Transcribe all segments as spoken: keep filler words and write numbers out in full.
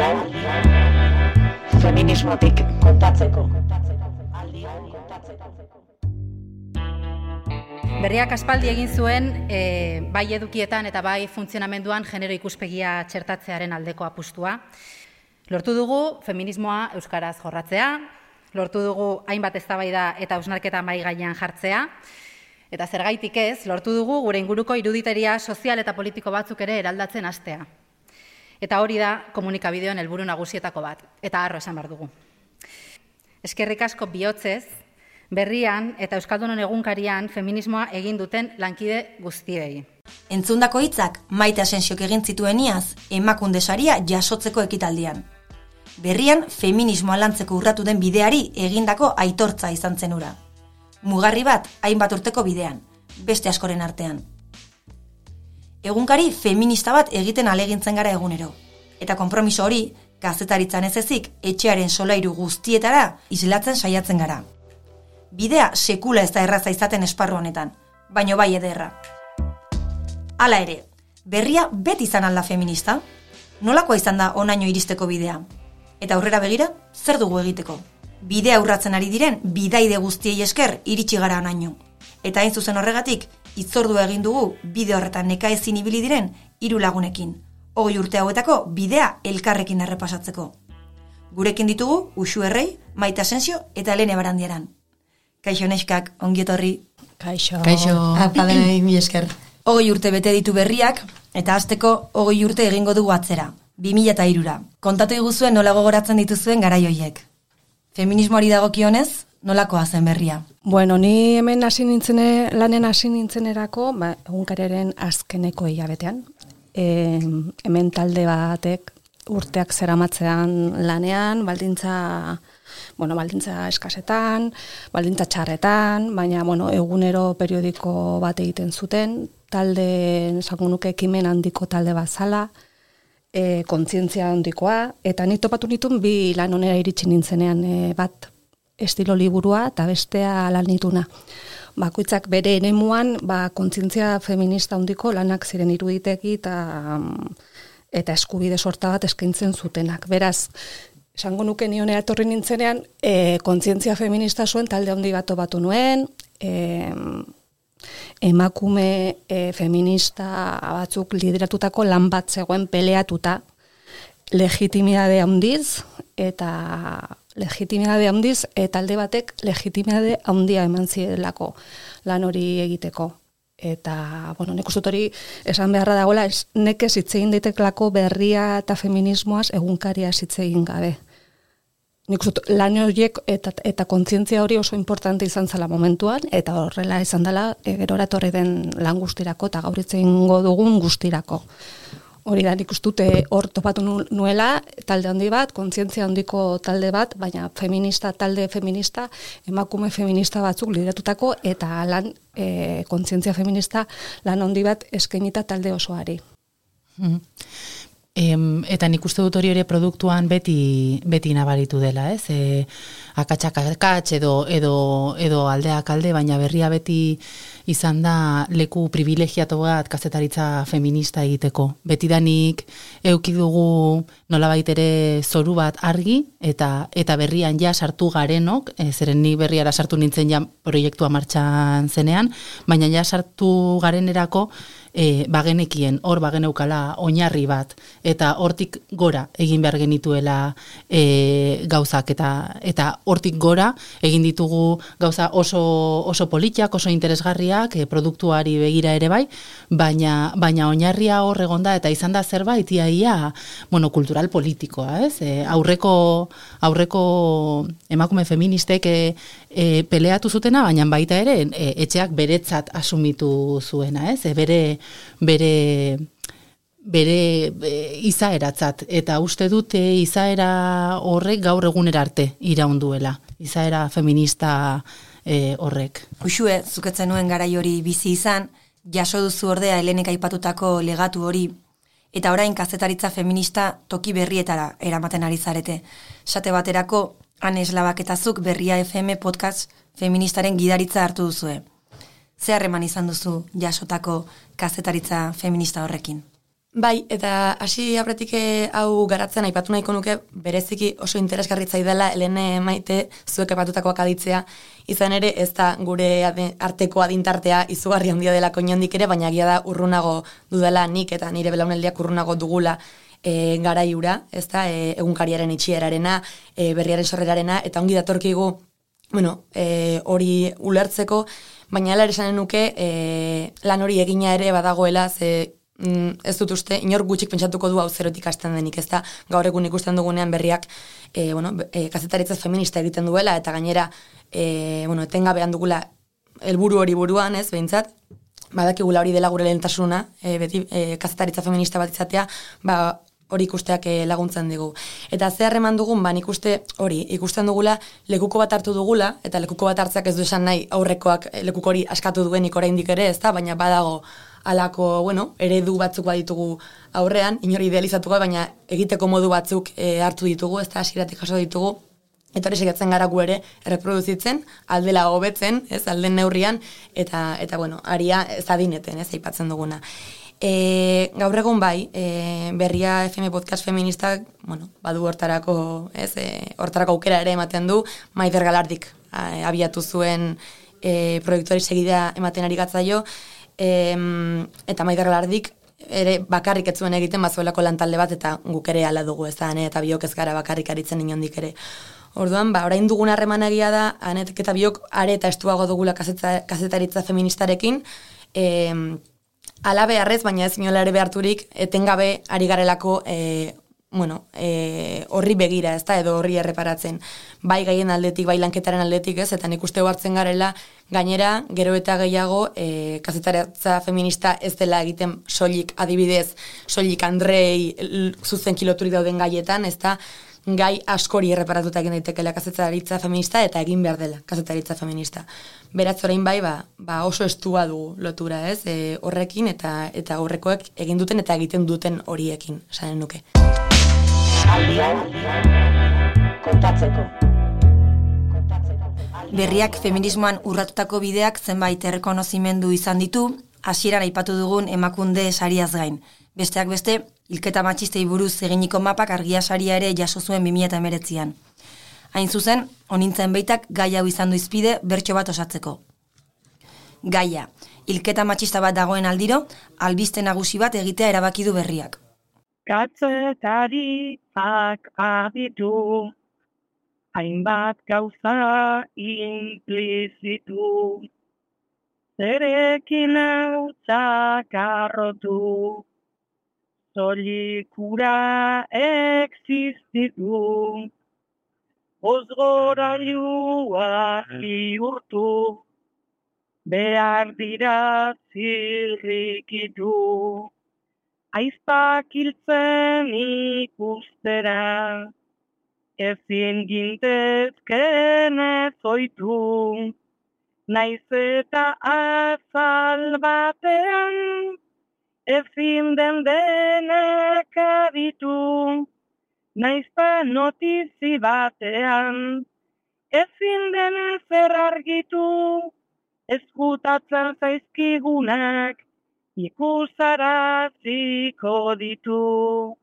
Aldion feminismotik kontatzeko. Aldion kontatzeko. Berriak aspaldi egin zuen e, bai edukietan eta bai funtzionamenduan genero ikuspegia txertatzearen aldeko apustua. Lortu dugu feminismoa euskaraz jorratzea, lortu dugu hainbat eztabaida eta hausnarketa mahai gainean jartzea, eta zergaitik ez, lortu dugu gure inguruko iruditeria sozial eta politiko batzuk ere eraldatzen hastea. Eta hori da komunikabideoen helburu nagusietako bat, eta harro esan behar dugu. Eskerrik asko bihotzez, Berrian eta Euskaldunon egunkarian feminismoa egin duten lankide guztiei. Entzundako hitzak Maite Asensiok egin zituen iaz Emakunde saria jasotzeko ekitaldian. Berrian feminismoa lantzeko urratu den bideari egindako aitortza izan zen hura. Mugarri bat hainbat urteko bidean, beste askoren artean. Egunkari feminista bat egiten alegintzen gara egunero. Eta konpromiso hori, kazetaritzan ez ezik, etxearen solairu guztietara islatzen saiatzen gara. Bidea sekula ez da erraza izaten esparru honetan, baino bai ederra. Hala ere, berria beti izan alda feminista? Nolakoa izan da onaino iristeko bidea? Eta aurrera begira, zer dugu egiteko? Bidea urratzen ari diren bidaide guztiei esker iritsi gara onaino. Eta hain zuzen horregatik, hitzordua egin dugu bide horretan nekaezin ibili diren hiru lagunekin. Hogei urte hauetako bidea elkarrekin errepasatzeko. Gurekin ditugu Uxu Errei, Maite Asensio eta Helene Barandiaran. Kaixo neskak, ongi etorri. Kaixo. Kaixo. Apadenei, mi esker. Hogei urte bete ditu berriak, eta hasteko hogei urte egingo dugu atzera. bi mila hirura. Kontatu iguzuen nola gogoratzen dituzuen garai hoiek. Feminismoari dagokionez, nolakoa zen berria? Bueno, ni hemen hasi nintzene, lanen hasi nintzenerako, ba, egunkariaren azkeneko hilabetean. E, hemen talde batek urteak zeramatzean lanean, baldintza... Bueno, baldintza eskasetan, baldintza txarretan, baina bueno, egunero periodiko bat egiten zuten, talde, esango nuke ekimen handiko talde bat zala, e, kontzientzia handikoa, eta ni topatu nituen bi lan onera iritsi nintzenean, e, bat estilo liburua eta bestea lan nituna. Bakoitzak bere eremuan, ba, kontzientzia feminista handiko lanak ziren iruditegi eta, eta eskubide sorta bat eskaintzen zutenak. Beraz, esango nuke nionera etorri nintzenean, e, kontzientzia feminista zuen talde handi bat batu nuen, e, emakume e, feminista batzuk lideratutako lan bat zegoen peleatuta, legitimidade handiz, eta legitimidade handiz, eta talde batek legitimidade handia eman zidelako lan hori egiteko. Eta, bueno, nik uste dut hori esan beharra dagoela, ez nekez hitz egin daiteklako berria eta feminismoaz egunkaria hitz egin gabe. Nik uste dut lan horiek eta, eta kontzientzia hori oso importante izan zela momentuan, eta horrela izan dela e, gerora etorri den lan guztirako eta gaur hitz egingo dugun guztirako. Hori da, nik uste dute hor topatu nuela talde handi bat, kontzientzia handiko talde bat, baina feminista, talde feminista, emakume feminista batzuk lideratutako eta lan e, kontzientzia feminista lan handi bat eskainita talde osoari. Mm-hmm. Em, eta nik uste dut hori ere produktuan beti, beti nabaritu dela, ez? E, akatsak akats edo, edo, edo aldeak alde, baina berria beti izan da leku privilegiatu bat kazetaritza feminista egiteko. Betidanik euki dugu nolabait ere zoru bat argi, eta eta berrian ja sartu garenok, e, zeren ni berriara sartu nintzen ja proiektua martxan zenean, baina ja sartu garenerako E, bagenekien, hor bageneukala oinarri bat, eta hortik gora egin behar genituela e, gauzak, eta eta hortik gora egin ditugu gauza oso, oso politiak, oso interesgarriak, e, produktuari begira ere bai, baina, baina oinarria hor egonda, eta izan da zerbait iaia monokultural politikoa, ez? E, aurreko, aurreko emakume feministek e, e, peleatu zutena, baina baita ere e, etxeak beretzat asumitu zuena, ez? E, bere bere bere e, izaeratzat, eta uste dute izaera horrek gaur egunera arte iraunduela, izaera feminista e, horrek. Uxue, zuketzen nuen garai hori bizi izan, jaso duzu ordea Helenek aipatutako legatu hori, eta orain kazetaritza feminista toki berrietara eramaten ari zarete. Sate baterako, Anes Labaketazuk Berria F M podcast feministaren gidaritza hartu duzue. Ze harreman izan duzu jasotako kazetaritza feminista horrekin? Bai, eta hasi aurretik hau garatzen aipatu nahiko nuke bereziki oso interesgarri zaidala Helene Maite zuek aipatutakoak aditzea, izan ere ez da gure arteko adintartea izugarri handia delako inondik ere, baina egia da urrunago dudala nik eta nire belaunaldiak urrunago dugula e, garaiura, ez da, e, egunkariaren itxierarena, e, berriaren sorrerarena, eta ongi datorkigu, bueno, e, hori ulertzeko, baina hala ere esanen nuke e, lan hori egina ere badagoela, ze ez dut uste, inor gutxik pentsatuko du hau zerotik hasten denik, ez da, gaur egun ikusten dugunean berriak, e, bueno, e, kazetaritza feminista egiten duela, eta gainera, e, bueno, etengabean dugula helburu hori buruan, ez, behintzat, badakigula hori dela gure lehentasuna, e, beti e, kazetaritza feminista bat izatea, ba, hori ikusteak e, laguntzen digu. Eta ze harreman dugun, ba, nik uste hori, ikusten dugula, lekuko bat hartu dugula, eta lekuko bat hartzeak ez du esan nahi aurrekoak lekuko hori askatu duenik oraindik ere, ez da, baina badago, alako, bueno, eredu batzuk baditugu aurrean, inori idealizatuko, baina egiteko modu batzuk e, hartu ditugu, ez da, hasieratik jaso ditugu, eta hori segatzen gara gu ere erreproduzitzen, aldela hobetzen, ez, alden neurrian, eta, eta bueno, aria ez adineten, ez, aipatzen duguna. E, gaur egun bai, e, Berria F M podcast feministak, bueno, badu hortarako, ez, e, hortarako aukera ere ematen du, Maider Galardik a, abiatu zuen e, proiektuari segidea ematen ari gatzaio, E, eta Maider Galardik ere bakarrik ez zuen egiten bazuelako lantalde bat eta guk ere hala dugu ez da, ane, eta biok ez gara bakarrik aritzen inondik ere. Orduan, ba, orain dugun harreman egia da, anetek eta biok are eta estuago dugula kazetaritza feministarekin, e, ala beharrez, baina ez inola ere beharturik, etengabe ari garelako e, bueno, e, horri begira, ez da, edo horri erreparatzen. Bai gaien aldetik, bai lanketaren aldetik, ez, eta nik uste hartzen garela, gainera, gero eta gehiago, e, kazetaritza feminista ez dela egiten soilik adibidez, soilik Andrei zuzen kiloturik dauden gaietan, ez da, gai askori erreparatuta egin daitekela kazetaritza feminista eta egin behar dela kazetaritza feminista. Beraz orain bai, ba, ba oso estua dugu lotura, ez, e, horrekin eta eta horrekoek egin duten eta egiten duten horiekin, esanen nuke. Aldian, kontatzeko. Berriak feminismoan urratutako bideak zenbait errekonozimendu izan ditu, hasieran aipatu dugun Emakunde sariaz gain. Besteak beste, hilketa matxistei buruz eginiko mapak argia saria ere jaso zuen bi mila hemeretzian. Hain zuzen, honintzen beitak gai hau izan du izpide bertso bat osatzeko. Gaia, hilketa matxista bat dagoen aldiro, albiste nagusi bat egitea erabaki du Berriak. Kazetaritzak aditu, hainbat gauza implizitu, zerekin hautzak arrotu, zolikura existitu, ozgorailua bihurtu, behar dira zirrikitu, aizpak hiltzen ikustera, ezin gintezken ez oitu, naiz eta azal batean, ezin den denak aditu, naiz pa notizi batean, ezin den zer argitu, eskutatzen zaizkigunak, ikusaraziko ditu.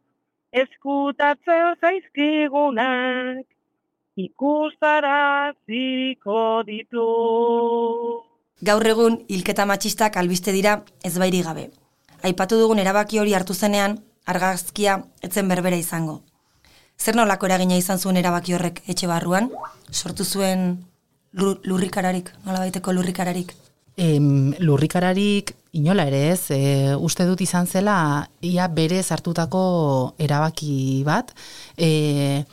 Eskutatzen zaizkigunak, ikusaraziko ditu. Gaur egun, hilketa matxistak albiste dira ezbairik gabe. Aipatu dugun erabaki hori hartu zenean, argazkia etzen berbera izango. Zer nolako eragina izan zuen erabaki horrek etxe barruan? Sortu zuen lurrikararik, nolabaiteko lurrikararik? Em, lurrikararik inola ere ez, e, uste dut izan zela ia berez hartutako erabaki bat, e,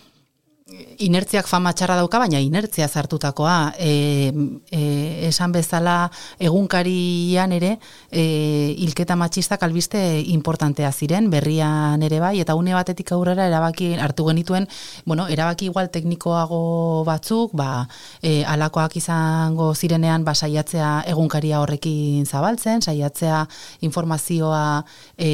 inertziak fama txarra dauka, baina inertzia hartutakoa, e, e, esan bezala egunkarian ere, e, hilketa matxistak albiste importantea ziren, Berrian ere bai, eta une batetik aurrera erabaki hartu genituen, bueno, erabaki igual teknikoago batzuk, ba, e, alakoak izango zirenean, ba, saiatzea egunkaria horrekin zabaltzen, saiatzea informazioa e,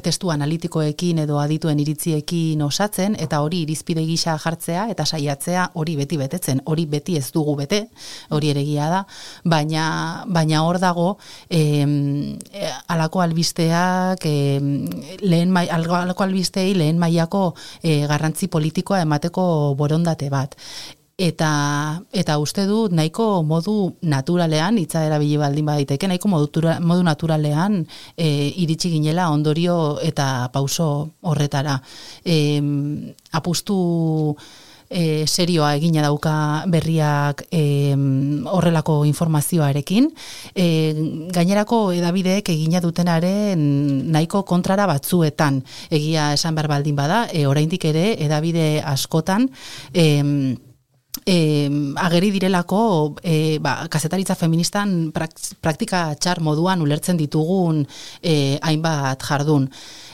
testu analitikoekin edo adituen iritziekin osatzen, eta hori irizpide gisa jartzen jartzea eta saiatzea hori beti betetzen, hori beti ez dugu bete, hori ere egia da, baina, baina hor dago eh, alako albisteak eh, lehen mai, alako albistei lehen mailako eh, garrantzi politikoa emateko borondate bat. Eta, eta uste du nahiko modu naturalean, hitza erabili baldin baditeke, nahiko modu, modu naturalean e, iritsi ginela ondorio eta pauso horretara. E, apustu e, serioa egina dauka berriak e, horrelako informazioarekin. E, gainerako edabideek egina dutenaren nahiko kontrara batzuetan egia esan behar baldin bada, e, oraindik ere edabide askotan e, E, ageri direlako e, ba, kazetaritza feministan praktika txar moduan ulertzen ditugun e, hainbat jardun.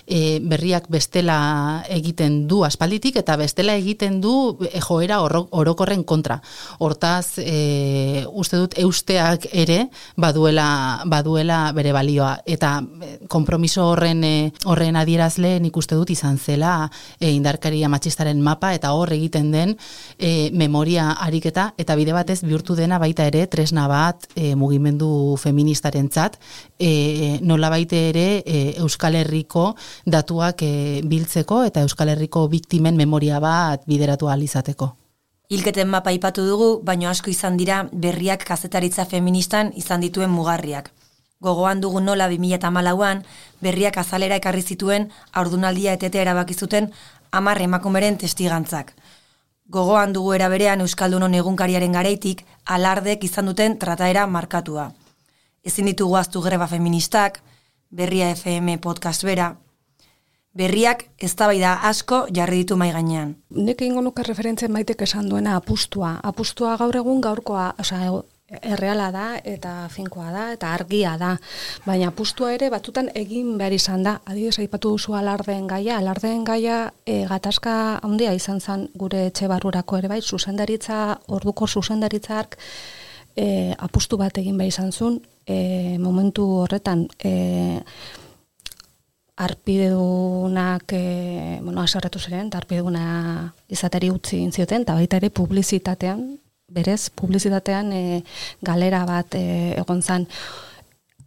E, berriak bestela egiten du aspalditik eta bestela egiten du e, joera orokorren kontra. Hortaz, e, uste dut eusteak ere baduela, baduela bere balioa. Eta konpromiso horren, e, horren adierazle nik uste dut izan zela e, indarkeria matxistaren mapa eta hor egiten den e, memoria ariketa eta bide batez bihurtu dena baita ere tresna bat e, mugimendu feministarentzat e, nola baita ere e, Euskal Herriko datuak e, biltzeko eta Euskal Herriko biktimen memoria bat bideratu ahal izateko. Hilketen mapa aipatu dugu, baino asko izan dira berriak kazetaritza feministan izan dituen mugarriak. Gogoan dugu nola bi mila hamalauan berriak azalera ekarri zituen haurdunaldia etetea erabaki zuten hamar emakumeren testigantzak. Gogoan dugu era berean Euskaldunon egunkariaren garaitik alardek izan duten trataera markatua. Ezin ditugu ahaztu greba feministak, Berria F M podcast bera, berriak eztabaida asko jarri ditu mai gainean. Nik egingo nuke referentzien Maitek esan duena apustua. Apustua gaur egun gaurkoa, osea, erreala da eta finkoa da eta argia da. Baina apustua ere batutan egin behar izan da. Adibidez aipatu duzu alardeen gaia, alardeen gaia e, gatazka handia izan zen gure etxe barrurako ere bai, zuzendaritza, orduko zuzendaritzak e, apustu bat egin behar izan zuen, e, momentu horretan e, arpidedunak, e, bueno, aserretu ziren, eta arpideduna izateri utzi intzioten, eta baita ere publizitatean, berez, publizitatean e, galera bat e, egon zan.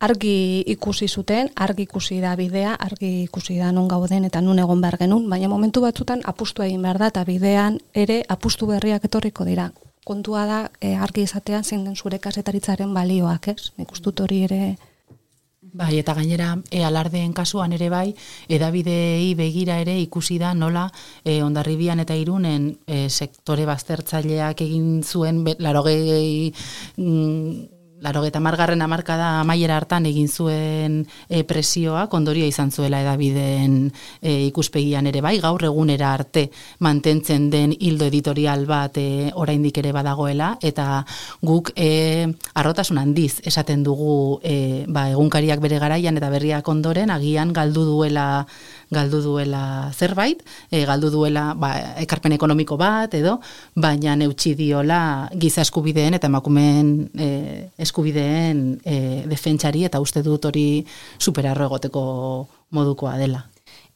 Argi ikusi zuten, argi ikusi da bidea, argi ikusi da non gauden eta nun egon behar genuen, baina momentu batzutan apustu egin behar da, eta bidean ere apustu berriak etorriko dira. Kontua da, e, argi izatean zein den zure kazetaritzaren balioak, ez? Nik uste dut hori ere... Bai, eta gainera e, alardeen kasuan ere bai, edabidei begira ere ikusi da nola e, Hondarribian eta Irunen e, sektore baztertzaileak egin zuen larogei... Mm, Larogeta margarren hamarkada amaiera hartan egin zuen e, presioak ondorio izan zuela edabideen e, ikuspegian ere bai, gaur egunera arte mantentzen den hildo editorial bat e, oraindik ere badagoela, eta guk e, arrotasun handiz esaten dugu e, ba, egunkariak bere garaian eta berriak ondoren agian galdu duela galdu duela zerbait, e, galdu duela ba, ekarpen ekonomiko bat edo, baina neutxi diola giza eskubideen eta emakumeen e, eskubideen e, defentsari eta uste dut hori superarro egoteko modukoa dela.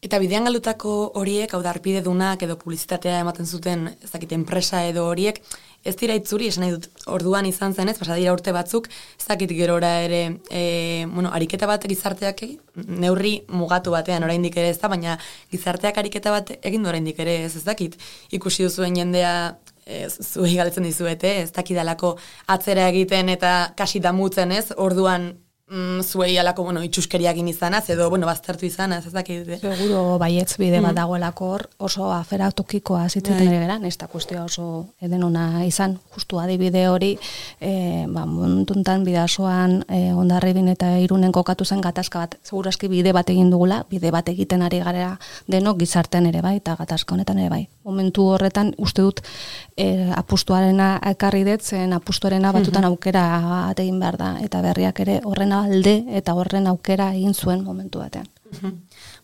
Eta bidean galdutako horiek, hau da arpidedunak edo publizitatea ematen zuten, ez dakit, enpresa edo horiek, ez dira itzuri, esan nahi dut, orduan izan zen ez, pasa dira urte batzuk, ez dakit gerora ere, e, bueno, ariketa bat gizarteak neurri mugatu batean oraindik ere ez da, baina gizarteak ariketa bat egin du oraindik ere ez, ez dakit, ikusi duzuen jendea, e, zuei galdetzen dizuete, ez dakidalako atzera egiten eta kasi damutzen ez, orduan, Mm, zuei alako, bueno, itxuskeriagin izanaz, edo, bueno, baztertu izanaz, ez dakit. Seguro baietz bide bat dagoelako hor, oso afera tokikoa zitzeten ere geran, ez da kuestia oso edenona izan, justu adibide hori, e, ba, montuntan bidasoan e, Hondarribin eta Irunen kokatu zen gatazka bat, segurazki bide bat egin dugula, bide bat egiten ari gara denok gizartean ere bai, eta gatazka honetan ere bai. Momentu horretan, uste dut, e, apustuarena ekarri dut, zen apustuarena batutan aukera bat egin behar da, eta berriak ere horren alde eta horren aukera egin zuen momentu batean.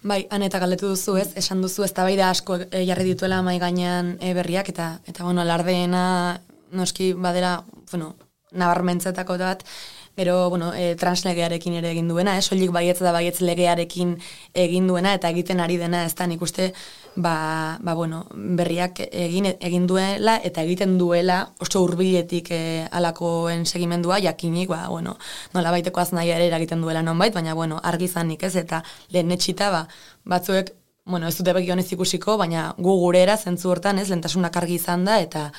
Bai, han eta galdetu duzu ez, esan duzu ez tabaida asko e, jarri dituela mai gainean e, berriak, eta, eta bueno, alardeena noski badera, bueno, nabarmentzetako bat, gero, bueno, e, translegearekin ere egin duena, ez, soilik baietz da baietz legearekin egin duena, eta egiten ari dena, ez da, nik uste, ba, ba bueno, berriak egin egin duela eta egiten duela oso hurbiletik e, alakoen segimendua jakinik, ba, bueno, nola baiteko aznaia ere eragiten duela nonbait, baina, bueno, argi izanik, ez, eta lehen etxita, ba, batzuek, bueno, ez dute begionez ikusiko, baina gu gurera zentzu hortan, ez, lehentasunak argi izan da, eta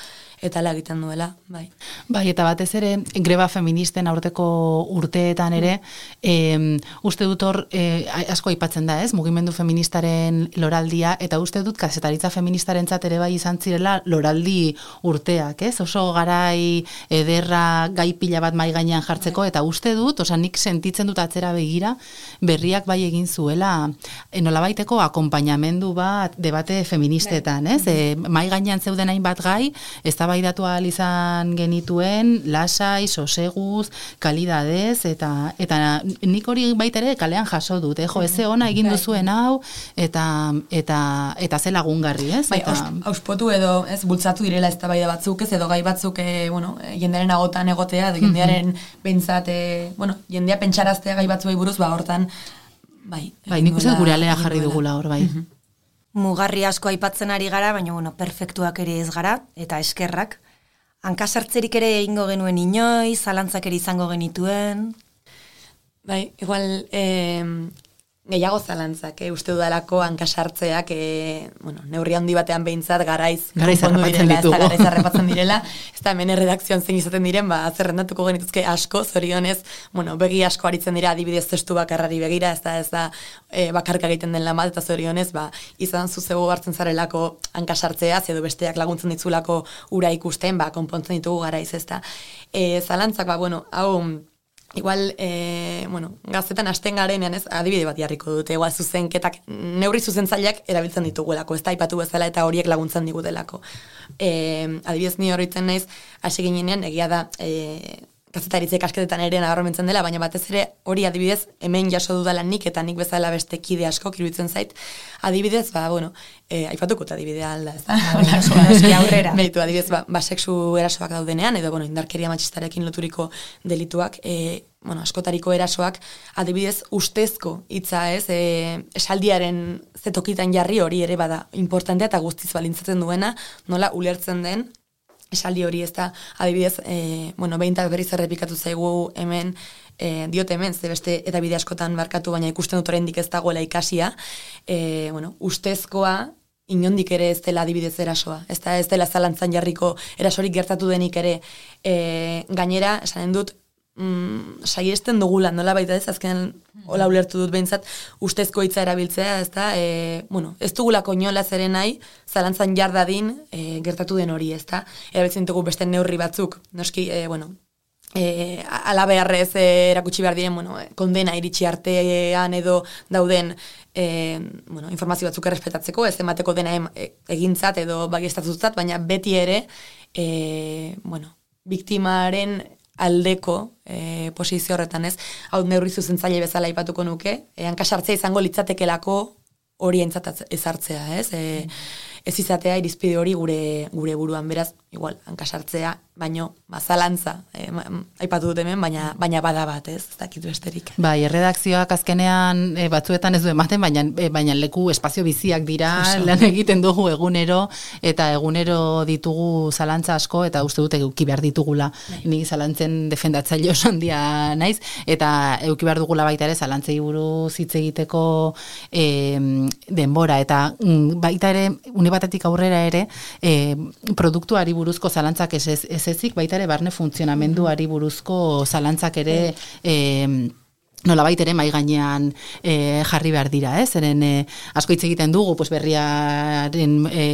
eta la egiten duela, bai. Bai, eta batez ere, greba feministen aurteko urteetan ere, eh, uste dut hor, eh, asko aipatzen da, ez, mugimendu feministaren loraldia, eta uste dut kazetaritza feministarentzat ere bai izan zirela loraldi urteak, ez, oso garai ederra gai pila bat mai gainean jartzeko, eta uste dut, osa nik sentitzen dut atzera begira, berriak bai egin zuela, nolabaiteko akonpainamendu bat debate feministetan, ez, e, mai gainean zeuden hainbat gai, ez da baidatu ahal izan genituen, lasai, soseguz, kalidadez, eta eta nik hori baita ere kalean jaso dut, eh? Jo, eze ona egin duzuen hau, eta eta eta ze lagungarri, ez? Bai, eta auspotu edo, ez, bultzatu direla eztabaida batzuk, ez, edo gai batzuk, e, bueno, jendearen agotan egotea, edo jendearen pentsat, e, bueno, jendea pentsaraztea gai batzuei buruz, ba, hortan, bai. Bai, nik uste gure alea jarri dugula hor, bai. Mugarri asko aipatzen ari gara, baina bueno, perfektuak ere ez gara, eta eskerrak. Hankasartzerik ere egingo genuen inoiz, zalantzak ere izango genituen. Bai, igual, eh, gehiago zalantzak, eh, uste dudalako hankasartzeak, eh, bueno, neurri handi batean behintzat garaiz garaiz harrapatzen ditugu. Garaiz harrapatzen direla, ez da hemen erredakzioan zein izaten diren, ba, zerrendatuko genituzke asko, zorionez, bueno, begi asko aritzen dira adibidez testu bakarrari begira, ez da, ez da, e, bakarka egiten den lan bat, eta zorionez, ba, izan zuzego hartzen zarelako hankasartzea, edo besteak laguntzen ditzulako ura ikusten, ba, konpontzen ditugu garaiz, ez da. E, zalantzak, ba, bueno, hau, igual, e, bueno, gaztetan hasten garenean, ez, adibide bat jarriko dute, igual zuzenketak, neurri zuzentzaileak erabiltzen dituguelako, ez da, aipatu bezala eta horiek laguntzen digutelako. E, adibidez ni horretzen naiz, hasi ginenean, egia da, e, gazetaritze ikasketetan ere nabarmentzen dela, baina batez ere hori adibidez hemen jaso dudala nik eta nik bezala beste kide asko iruditzen zait. Adibidez, ba, bueno, e, aipatuko eta adibidea alda, ez da? Eski aurrera. Beitu, adibidez, ba, ba sexu erasoak daudenean, edo, bueno, indarkeria matxistarekin loturiko delituak, e, bueno, askotariko erasoak, adibidez, ustezko hitza, ez, e, esaldiaren zetokitan jarri hori ere bada importantea eta guztiz balintzatzen duena, nola ulertzen den, esaldi hori ez da, adibidez, e, bueno, behintak berriz errepikatu zaigu hemen, e, diote hemen, ze beste eta bide askotan barkatu, baina ikusten dut oraindik ez dagoela ikasia, e, bueno, ustezkoa, inondik ere ez dela adibidez erasoa, ez da, ez dela zalantzan jarriko erasorik gertatu denik ere, e, gainera, esanen dut, Mm, saiesten dugula, nola baita ez, azken hola ulertu dut behintzat, ustezko hitza erabiltzea, ez da, e, bueno, ez dugulako inola zeren nahi, zalantzan jardadin e, gertatu den hori, ez da, erabiltzen dugu beste neurri batzuk, noski, e, bueno, e, ala beharrez e, erakutsi behar diren, bueno, kondena iritsi artean edo dauden, e, bueno, informazio batzuk errespetatzeko, ez emateko dena em, e, egintzat edo bagiestatutzat, baina beti ere, e, bueno, biktimaren aldeko e, posizio horretan, ez, hau neurri zuzentzaile bezala aipatuko nuke, e, hankasartzea izango litzatekelako hori entzat ezartzea, ez, e, ez izatea irizpide hori gure gure buruan, beraz, igual, hankasartzea, baino, bazalantza, e, ma, aipatu dut hemen, baina, baina bada bat, ez, ez dakitu esterik. Bai, erredakzioak azkenean e, batzuetan ez du ematen, baina, e, baina leku espazio biziak dira, lan egiten dugu egunero, eta egunero ditugu zalantza asko, eta uste dut euki behar ditugula, ni zalantzen defendatzaile oso handia naiz, eta euki behar dugula baita ere zalantzei buruz hitz egiteko e, denbora, eta mm, baita ere, unibatetik aurrera ere, e, produktuari buruzko zalantzak ez, ez, ez ezik, baita ere barne funtzionamenduari buruzko zalantzak ere e, nolabait ere mai gainean e, jarri behar dira, ez? Zeren e, asko hitz egiten dugu, pues berriaren e,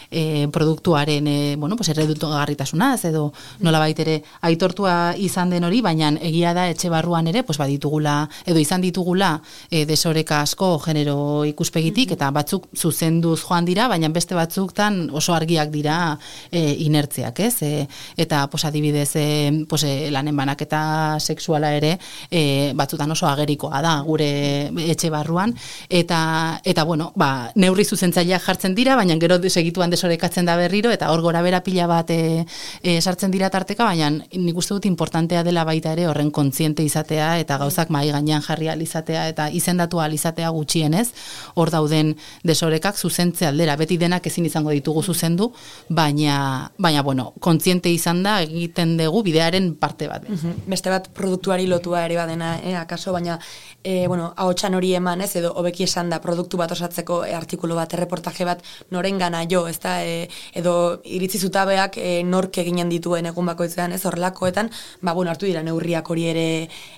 e, produktuaren e, bueno, pues erredutogarritasunaz edo nolabait ere aitortua izan den hori, baina egia da etxe barruan ere, pues baditugula edo izan ditugula e, desoreka asko genero ikuspegitik, eta batzuk zuzenduz joan dira, baina beste batzuktan oso argiak dira e, inertziak, ez? E, eta pues adibidez e, pues, e, lanen banaketa sexuala ere e, batzutan askotan oso agerikoa da gure etxe barruan, eta, eta bueno, ba, neurri zuzentzaileak jartzen dira, baina gero segituan desorekatzen da berriro, eta hor gora bera pila bat e, e, sartzen dira tarteka, baina nik uste dut importantea dela baita ere horren kontziente izatea, eta gauzak mahai gainean jarri ahal izatea, eta izendatu ahal izatea gutxienez, hor dauden desorekak zuzentze aldera, beti denak ezin izango ditugu zuzendu, baina, baina bueno, kontziente izan da egiten dugu bidearen parte bat. Mm-hmm. Beste bat produktuari lotua ere badena, eh, akaso, baina e, bueno, ahotsan hori eman, ez, edo hobeki esan da produktu bat osatzeko e, artikulu bat, erreportaje bat norengana jo, ez da, e, edo iritzi zutabeak e, nork eginen dituen egun bakoitzean, ez, horrelakoetan, ba, bueno, hartu dira neurriak hori ere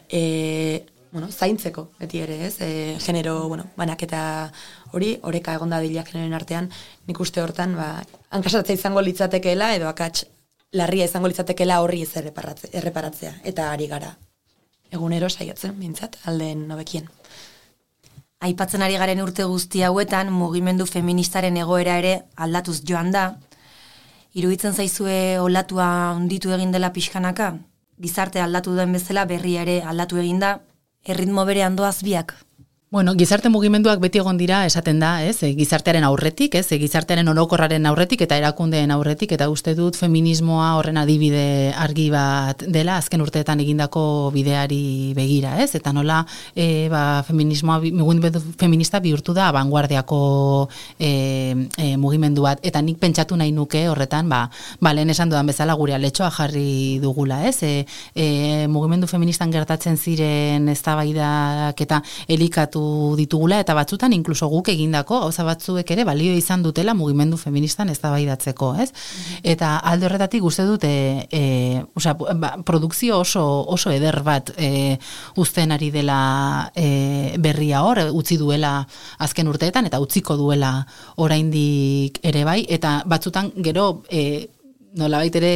e, bueno, zaintzeko, beti ere, ez, e, genero, bueno, banaketa hori, oreka egonda dila generoen artean, nik uste hortan, ba, hankasatzea izango litzatekeela, edo akats larria izango litzatekeela horri ez erreparatzea, eta ari gara egunero saiatzen, bintzat, aldeen nobekien. Aipatzen ari garen urte guzti hauetan, mugimendu feministaren egoera ere aldatuz joan da. Iruditzen zaizue olatua hunditu egin dela pixkanaka? Gizarte aldatu duen bezala berria ere aldatu egin da, erritmo berean doaz biak? Bueno, gizarte mugimenduak beti egon dira esaten da, ez? E, gizartearen aurretik, ez? E, gizartearen orokorraren aurretik eta erakundeen aurretik, eta uste dut feminismoa horren adibide argi bat dela azken urteetan egindako bideari begira, ez? Eta nola e, ba, feminismoa, mugimendu feminista bihurtu da vanguardiako e, e, mugimendu bat, eta nik pentsatu nahi nuke horretan, ba, ba lehen esan dudan bezala gure aletxoa jarri dugula, ez? E, e, mugimendu feministan gertatzen ziren eztabaidak eta elikatu ditugula, eta batzutan inkluso guk egindako gauza batzuek ere balio izan dutela mugimendu feministan eztabaidatzeko, ez? Eta alde horretatik uste dute e, osea, ba, produkzio oso, oso eder bat e, uzten ari dela e, berria hor, utzi duela azken urteetan, eta utziko duela oraindik ere bai, eta batzutan gero e, nolabait ere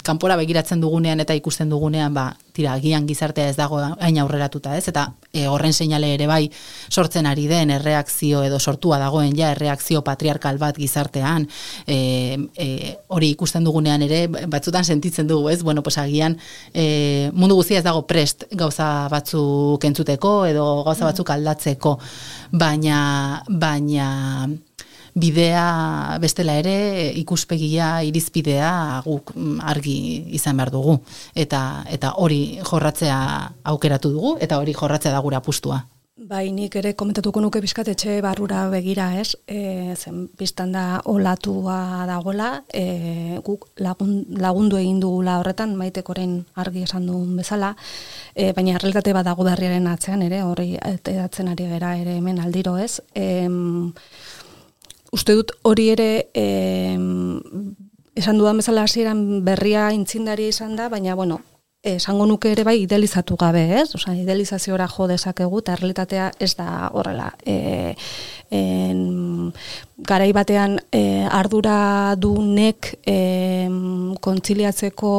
kanpora begiratzen dugunean eta ikusten dugunean, ba, tira, agian gizartea ez dago hain aurreratuta, ez? Eta e, horren seinale ere bai sortzen ari den erreakzio edo sortua dagoen ja erreakzio patriarkal bat gizartean, e, e, hori ikusten dugunean ere batzutan sentitzen dugu, ez? Bueno, pues agian e, mundu guztia ez dago prest gauza batzuk entzuteko edo gauza batzuk aldatzeko, baina baina bidea bestela ere ikuspegia, irizpidea guk argi izan behar dugu. Eta, eta hori jorratzea aukeratu dugu, eta hori jorratzea da gura apustua. Bai, nik ere komentatuko nuke bizkat etxe barrura begira, ez? E, zen biztan da olatua dagoela, e, guk lagun, lagundu egin dugula horretan, Maitek orain argi esan duen bezala, e, baina realitate bat dago berriaren atzean ere, hori edatzen ari gera ere hemen aldiro, ez? E, Uste dut hori ere eh, esan dudan bezala hasieran berria intzindari izan da, baina bueno, esango nuke ere bai idealizatu gabe, ez? Osea, idealizaziora jo dezakegu eta realitatea ez da horrela. E, en, garai batean e, ardura du nek e, kontziliatzeko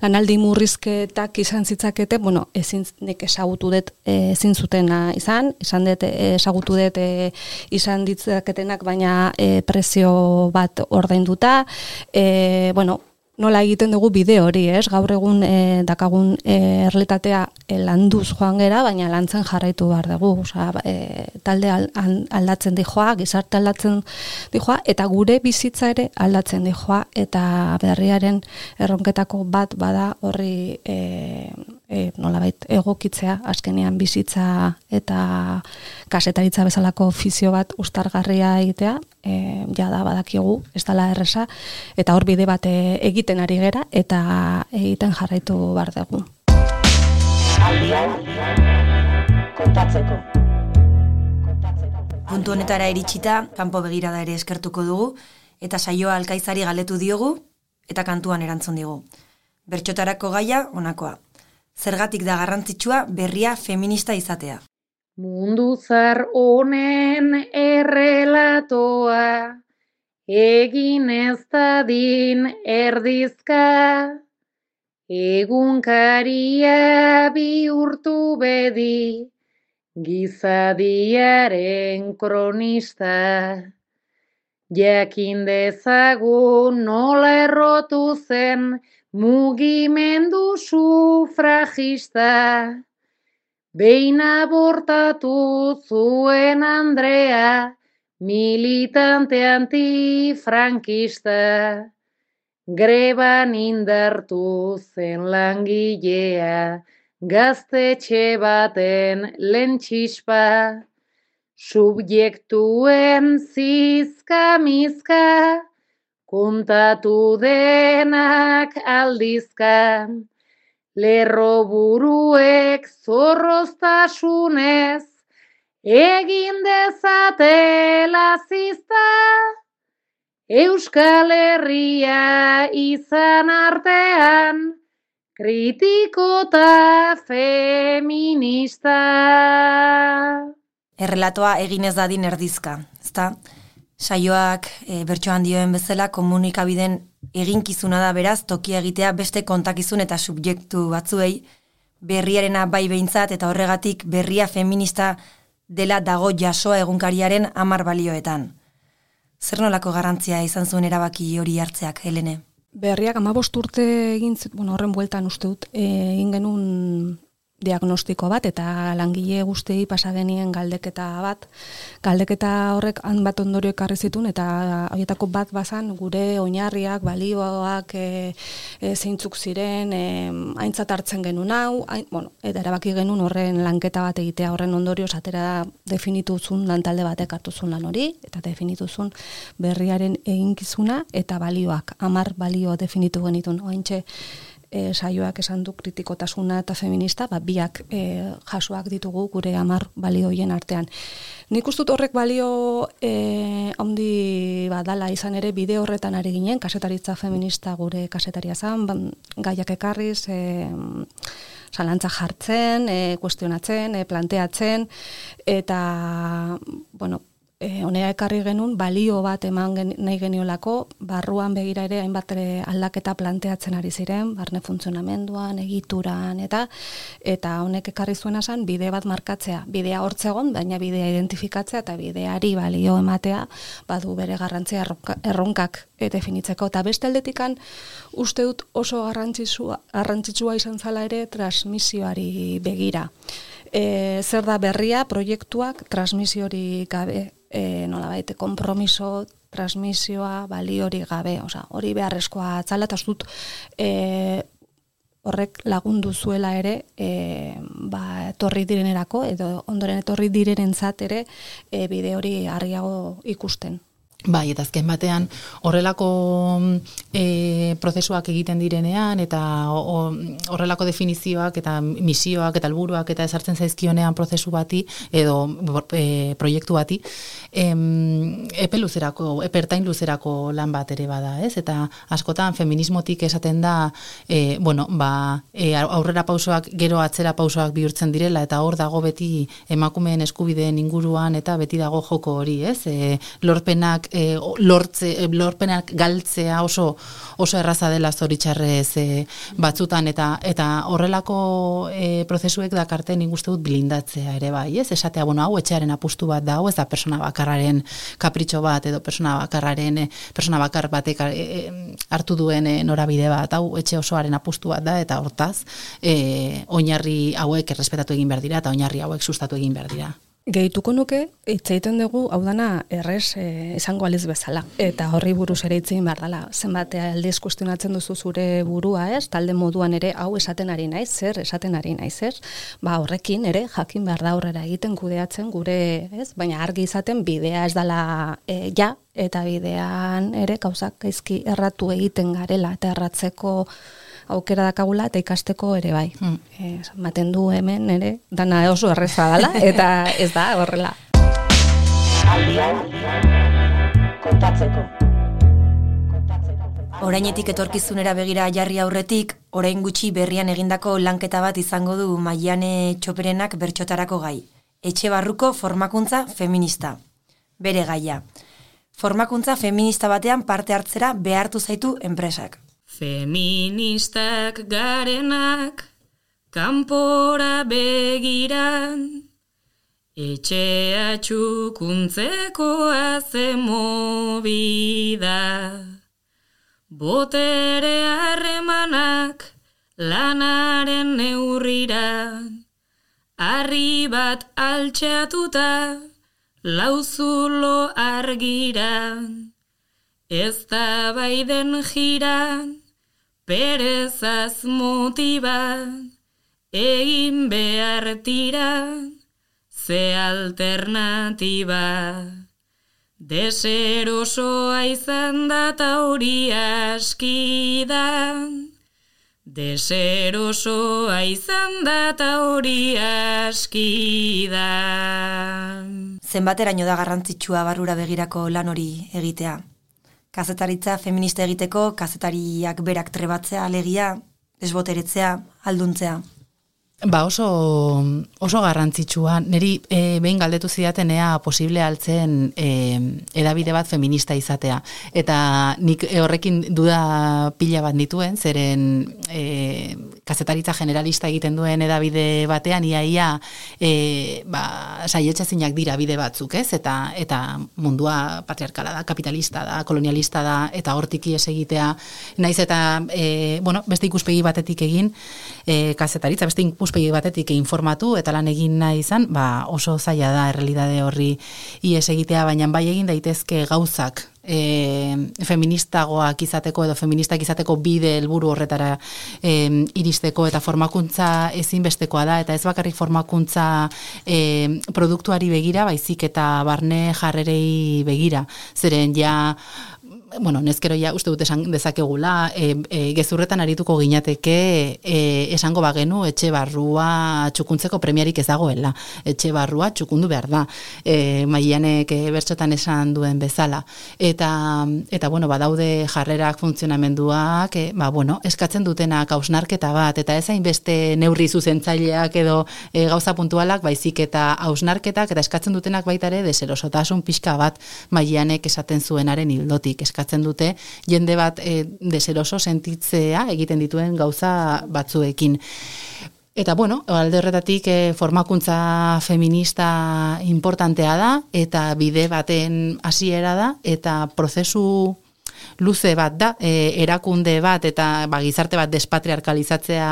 lanaldi murrizketak izan zitzakete, bueno, ezin nek ezagutu dut e, ezin zutena izan, izan dut ezagutu dut e, izan ditzaketenak, baina e, prezio bat ordainduta, e, bueno, nola egiten dugu bide hori, ez? Gaur egun e, dakagun e, errealitatea e, landuz joan gera, baina lantzen jarraitu behar dugu. Osea, e, talde aldatzen dijoa, gizarte aldatzen dijoa, eta gure bizitza ere aldatzen dijoa, eta berriaren erronketako bat bada horri e, e, nolabait egokitzea, azkenean bizitza eta kasetaritza bezalako ofizio bat ustargarria egitea, e, jada badakigu, ez dela erresa, eta hor bide bat egiten ari gera, eta egiten jarraitu behar dugu. Aldian, kontatzeko. Puntu honetara iritsita, kanpo begirada ere eskertuko dugu, eta saioa Alkaizari galetu diogu, eta kantuan erantzun digu. Bertxotarako gaia, honakoa. Zergatik da garrantzitsua berria feminista izatea. Mundu zar honen errelatoa, egin ez dadin erdizka, egunkaria bihurtu bedi, gizadiaren kronista. Jakin dezagun nola errotu zen mugimendu sufragista, behin abortatu zuen Andrea, militante antifrankista, greban indartu zen langilea, gaztetxe baten lehen txispa, subjektuen zizka-mizka, kontatu denak aldizka, lerro buruek zorroztasunez, egin dezatela zizta, Euskal Herria izan artean, kritiko eta feminista. Errelatoa egin ez dadin erdizka, ezta? Saioak e, bertsoan dioen bezala komunikabideen eginkizuna da beraz tokia egitea beste kontakizun eta subjektu batzuei berriarena bai behintzat eta horregatik berria feminista dela dago jasoa egunkariaren hamar balioetan. Zer nolako garrantzia izan zuen erabaki hori hartzeak, Helene? Berriak hamabost urte egin, bueno, horren bueltan uste dut, egin genuen diagnostiko bat eta langile guztiei pasa genien galdeketa bat. Galdeketa horrek han bat ondorio ekarri zituen eta horietako bat bazan gure oinarriak, balioak e, e, zeintzuk ziren, e, aintzat hartzen genuen hau, hain, bueno, eta erabaki genuen horren lanketa bat egitea horren ondorioz atera definituzun lantalde batek hartuzun lan hori eta definituzun berriaren eginkizuna eta balioak, hamar balio definitu genitun. Ointxe E, saioak esan du kritikotasuna eta feminista, ba, biak e, jasoak ditugu gure hamar balioien artean. Nik uste dut horrek balio e, handi badala izan ere bide horretan ari ginen, kasetaritza feminista gure kasetaria zan, ban, gaiak ekarriz, e, zalantza jartzen, e, kuestionatzen, e, planteatzen, eta, bueno, E, honea ekarri genuen balio bat eman gen, nahi geniolako, barruan begira ere hainbat aldaketa planteatzen ari ziren, barne funtzionamenduan, egituran, eta eta honek ekarri zuena zen bide bat markatzea, bidea hortzegon, baina bidea identifikatzea eta bideari balio ematea, badu bere garrantzia erronka, erronkak e, definitzeko. Eta beste aldetikan uste dut oso garrantzitsua, garrantzitsua izan zala ere transmisioari begira. E, zer da berria, proiektuak transmisiori gabe, e, nola baite, kompromiso, transmisioa, baliori gabe, oza, hori beharrezkoa atzala, eta dut e, horrek lagundu zuela ere, e, ba, etorri direnerako, edo ondoren etorri direnentzat ere, e, bide hori argiago ikusten. Bai, eta azken batean horrelako e, prozesuak egiten direnean eta o, horrelako definizioak eta misioak eta helburuak eta ezartzen zaizkionean prozesu bati edo e, proiektu bati em, epe luzerako, epertain luzerako lan bat ere bada, ez? Eta askotan feminismotik esaten da e, bueno, ba, e, aurrera pausoak gero atzera pausoak bihurtzen direla eta hor dago beti emakumeen eskubideen inguruan eta beti dago joko hori, ez? E, lorpenak E, lortze, lorpenak galtzea oso oso erraza dela zoritxarrez e, batzutan eta eta horrelako e, prozesuek dakarten nik uste dut blindatzea ere bai, ez? Esatea, bueno, hau etxearen apustu bat da, hau ez da persona bakarraren kapritxo bat edo persona bakarraren e, persona bakar batek e, hartu duen e, norabide bat, hau etxe osoaren apustu bat da eta hortaz e, oinarri hauek errespetatu egin behar dira eta oinarri hauek sustatu egin behar dira. Gehituko nuke, hitz egiten dugu, hau dana errez e, izango aliz bezala. Eta horri buruz ere hitz egin behar dela. Zenbat aldiz kuestionatzen duzu zure burua, ez? Talde moduan ere hau esaten ari naiz, zer esaten ari naiz, ez? Ba, horrekin ere jakin behar da aurrera egiten kudeatzen gure, ez? Baina argi izaten bidea ez dela e, ja, eta bidean ere gauzak gaizki erratu egiten garela eta erratzeko aukera dakagula eta ikasteko ere bai. Hmm. E, maten du hemen ere, dana oso erreza dela, eta ez da horrela. Aldian, kontatzeko. Orainetik etorkizunera begira jarri aurretik, orain gutxi berrian egindako lanketa bat izango du Maiane Txoperenak bertsotarako gai. Etxe barruko formakuntza feminista. Bere gaia. Formakuntza feminista batean parte hartzera behartu zaitu enpresak. Feministak garenak, kanpora begiran, etxea txukuntzekoa zen movida. Botere harremanak lanaren neurrira, harri bat altxatuta, lauzulo argiran, ez da baiden jiran, perezaz motiban, egin behar tiran, ze alternatiba. Deserosoa izan da ta hori askidan, deserosoa izan da ta hori askidan. Zenbateraino da garrantzitsua barrura begirako lan hori egitea? Kazetaritza feminista egiteko, kazetariak berak trebatzea, alegia, desboteretzea, alduntzea. Ba oso, oso garrantzitsua. Neri e, behin galdetu zidaten ea posible altzen e, edabide bat feminista izatea. Eta nik horrekin duda pila bat dituen, zeren e, kazetaritza generalista egiten duen edabide batean, iaia e, ba, saietxezinak dira bide batzuk, ez? Eta, eta mundua patriarkala da, kapitalista da, kolonialista da, eta hortik ies egitea. Naiz eta, e, bueno, beste ikuspegi batetik egin, e, kazetaritza, beste ikuspegi ikuspegi batetik informatu eta lan egin nahi izan, ba oso zaila da errealitate horri ies egitea, baina bai egin daitezke gauzak e, feministagoak izateko edo feministak izateko bide helburu horretara e, iristeko, eta formakuntza ezinbestekoa da, eta ez bakarrik formakuntza e, produktuari begira, baizik eta barne jarrerei begira, zeren ja bueno, nezkero ja uste dut esan dezakegula, e, e, gezurretan arituko ginateke e, esango bagenu etxe barrua txukuntzeko premiarik ez dagoela. Etxe barrua txukundu behar da. E, Maianek e, bertxotan esan duen bezala. Eta, eta bueno, badaude jarrerak, funtzionamenduak, e, ba, bueno, eskatzen dutenak hausnarketa bat, eta ez hainbeste neurri zuzentzaileak edo e, gauza puntualak, baizik eta hausnarketak, eta eskatzen dutenak baita ere deserosotasun pixka bat Maianek esaten zuenaren hildotik. Eskatzen dute jende bat e, deseroso sentitzea egiten dituen gauza batzuekin. Eta bueno, alde horretatik e, formakuntza feminista importantea da, eta bide baten hasiera da, eta prozesu luze bat da, e, erakunde bat eta ba, gizarte bat despatriarkalizatzea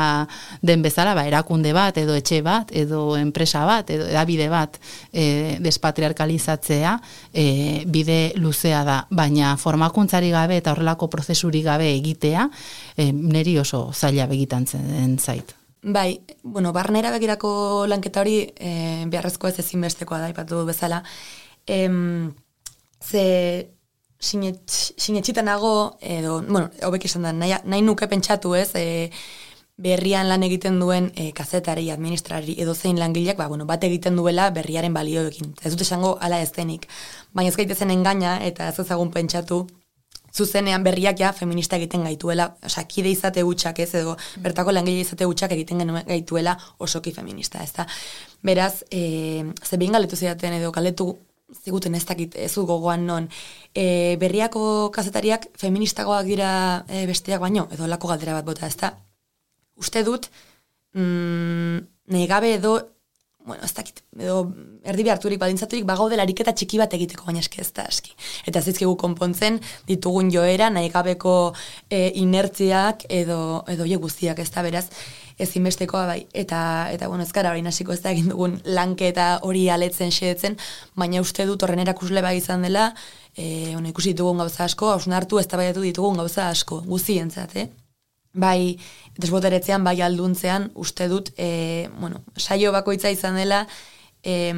den bezala, ba, erakunde bat edo etxe bat edo enpresa bat edo edabide bat e, despatriarkalizatzea e, bide luzea da, baina formakuntzari gabe eta horrelako prozesurik gabe egitea e, neri oso zaila begitan zen zait. Bai, bueno, barnera begirako lanketa hori e, beharrezko ez ezinbestekoa da, ipatu bezala. Em, ze sinetxita nago, edo, bueno, hobek izan da, nahi, nahi nuke pentsatu ez, e, berrian lan egiten duen e, kazetari, administrari, edo zein langileak, ba, bueno, bat egiten duela berriaren balioekin. Ez dut esango ala ez denik. Baina ez gaitezen engaina, eta ez ezagun pentsatu, zuzenean berriak ja feminista egiten gaituela, osea, kide izate hutsak ez, edo bertako langile izate hutsak egiten gaituela osoki feminista, ez da. Beraz, e, ze behin galetu zidaten edo galetu ziguten ez dakit ez du gogoan non, e, berriako kazetariak feministagoak dira e, besteak baino, edo lako galdera bat bota, ez da. Uste dut, mm, nahi gabe edo, bueno, ez dakit, edo erdi beharturik, badintzaturik, bagaude lariketa txiki bat egiteko, baina eski ez da aski. Eta zizkigu konpontzen ditugun joera, nahi gabeko e, inertziak edo, edo je guztiak, ez da, beraz, ezinbestekoa bai, eta, eta bueno, ez gara hori nasiko ez da egin dugun lanketa hori aletzen xeetzen, baina uste dut horren erakusle bai izan dela, e, bueno, ikusi ditugun gauza asko, hausnartu ez tabaiatu ditugun gauza asko, guzientzat, eh? Bai, desboteretzean, bai alduntzean, uste dut, e, bueno, saio bakoitza izan dela, e,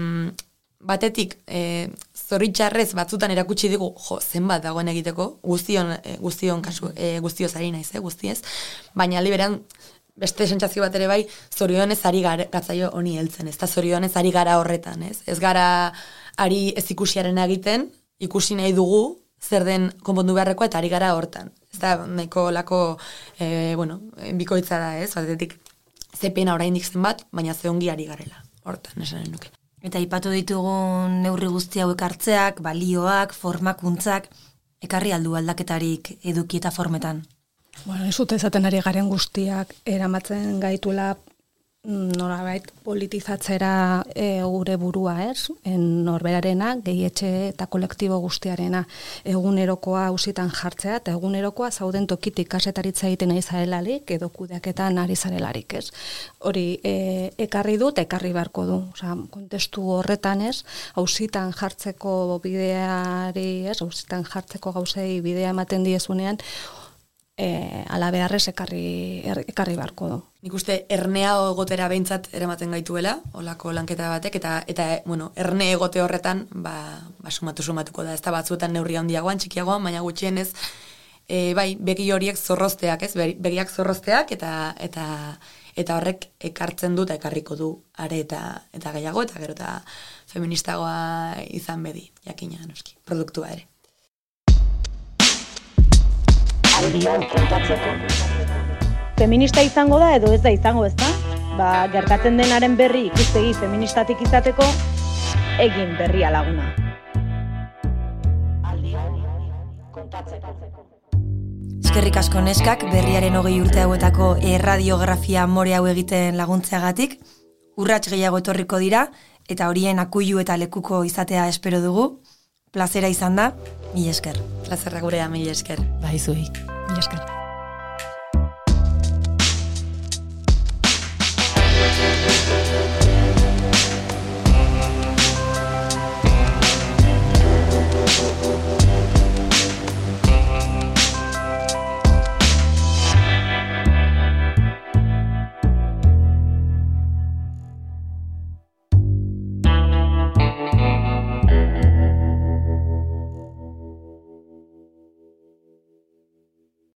batetik, e, zoritxarrez batzutan erakutsi digu, jo, zenbat dagoen egiteko, guztion, e, guztion kasu, e, guztioz ari naiz, eh, guztiez, baina liberan, beste sentsazio bat ere bai, zorionez ari gara, gatzaio honi heltzen, ez da zorionez ari gara horretan, ez? Ez gara ari ez ikusiaren egiten, ikusi nahi dugu, zer den konpondu beharrekoa eta ari gara hortan. Ez da, nahiko lako, e, bueno, bikoitza da, ez? Batetik, ze pena oraindik zenbat, baina ze ongi ari garela, hortan, esanen nuke. Eta aipatu ditugun neurri guzti hauek hartzeak, balioak, formakuntzak, ekarri aldu aldaketarik eduki eta formetan. Bueno, ez dut ezaten ari garen guztiak eramatzen gaitula norabait politizatzera e, gure burua, ez? En norberarena, gehietxe eta kolektibo guztiarena egunerokoa auzitan jartzea, eta egunerokoa zauden tokitik kasetaritza egiten nahi zarelarik, edo kudeaketan ari zarelarik, ez? Hori, e, ekarri dut, ekarri beharko du. Osea, kontestu horretan, ez? Auzitan jartzeko bideari, ez? Auzitan jartzeko gauzei bidea ematen diezunean, E, ala beharrez ekarri, er, ekarri beharko du. Nik uste ernea egotera behintzat eramaten gaituela, olako lanketa batek, eta, eta bueno, erne egote horretan, ba, ba sumatu sumatuko da, ez da batzuetan neurri handiagoan, txikiagoan, baina gutxienez, e, bai, begi horiek zorrozteak, ez, begiak zorrozteak, eta eta eta horrek ekartzen du, eta ekarriko du are eta, eta gehiago, eta gero eta feministagoa izan bedi, jakina, noski, produktua ere. Feminista izango da edo ez da izango, ezta? Ba, gertatzen denaren berri ikuspegi feministatik izateko egin berria laguna. Eskerrik asko neskak berriaren hogei urte hauetako erradiografia more hau egiten laguntzeagatik. Urrats gehiago etorriko dira eta horien akuilu eta lekuko izatea espero dugu. Plazera izan da, mila esker. Plazerra gurea, mila esker. Bai, zuei. Mila esker.